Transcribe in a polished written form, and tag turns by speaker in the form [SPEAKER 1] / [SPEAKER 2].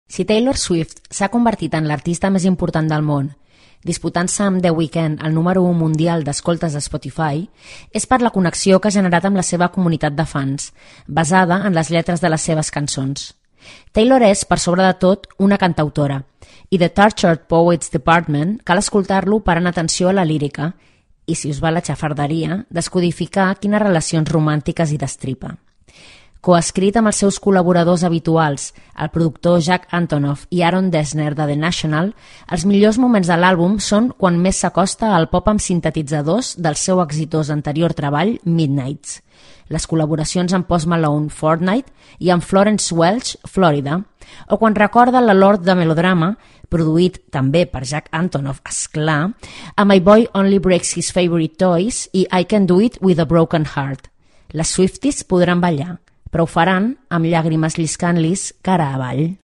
[SPEAKER 1] Si Taylor Swift s'ha convertit en l'artista més important del món, disputant-se amb The Weeknd el número 1 mundial d'escoltes de Spotify, és per la connexió que ha generat amb la seva comunitat de fans, basada en les lletres de les seves cançons. Taylor és, per sobre de tot, una cantautora, i The Tortured Poets Department cal escoltar-lo parant atenció a la lírica i, si us va la xafarderia, descodificar quines relacions romàntiques hi destripa. Coescrit amb els seus col·laboradors habituals, el productor Jack Antonoff i Aaron Dessner de The National, els millors moments de l'àlbum són quan més s'acosta al pop amb sintetitzadors del seu exitós anterior treball, Midnights, les col·laboracions amb Post Malone, Fortnite, i amb Florence Welch, Florida, o quan recorda la Lord de Melodrama, produït també per Jack Antonoff, esclar, amb My Boy Only Breaks His Favorite Toys i I Can Do It With a Broken Heart. Les Swifties podran ballar, però ho faran amb llàgrimes lliscant-lis cara avall.